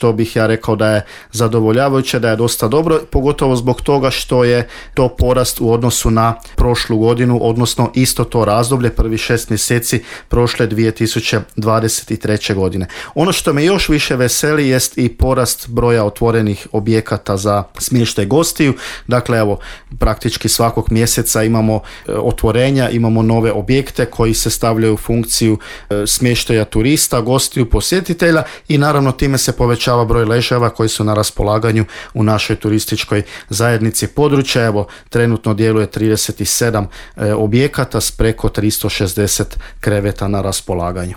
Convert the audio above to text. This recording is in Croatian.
što bih ja rekao da je zadovoljavajuće, da je dosta dobro, pogotovo zbog toga što je to porast u odnosu na prošlu godinu, odnosno isto to razdoblje, prvi 6 mjeseci prošle 2023. godine. Ono što me još više veseli jest i porast broja otvorenih objekata za smještaj gostiju. Dakle, evo, praktički svakog mjeseca imamo otvorenja, imamo nove objekte koji se stavljaju u funkciju smještaja turista, gostiju, posjetitelja i naravno time se povećava broj ležajeva koji su na raspolaganju u našoj turističkoj zajednici područja. Evo, trenutno djeluje 37 objekata s preko 360 kreveta na raspolaganju.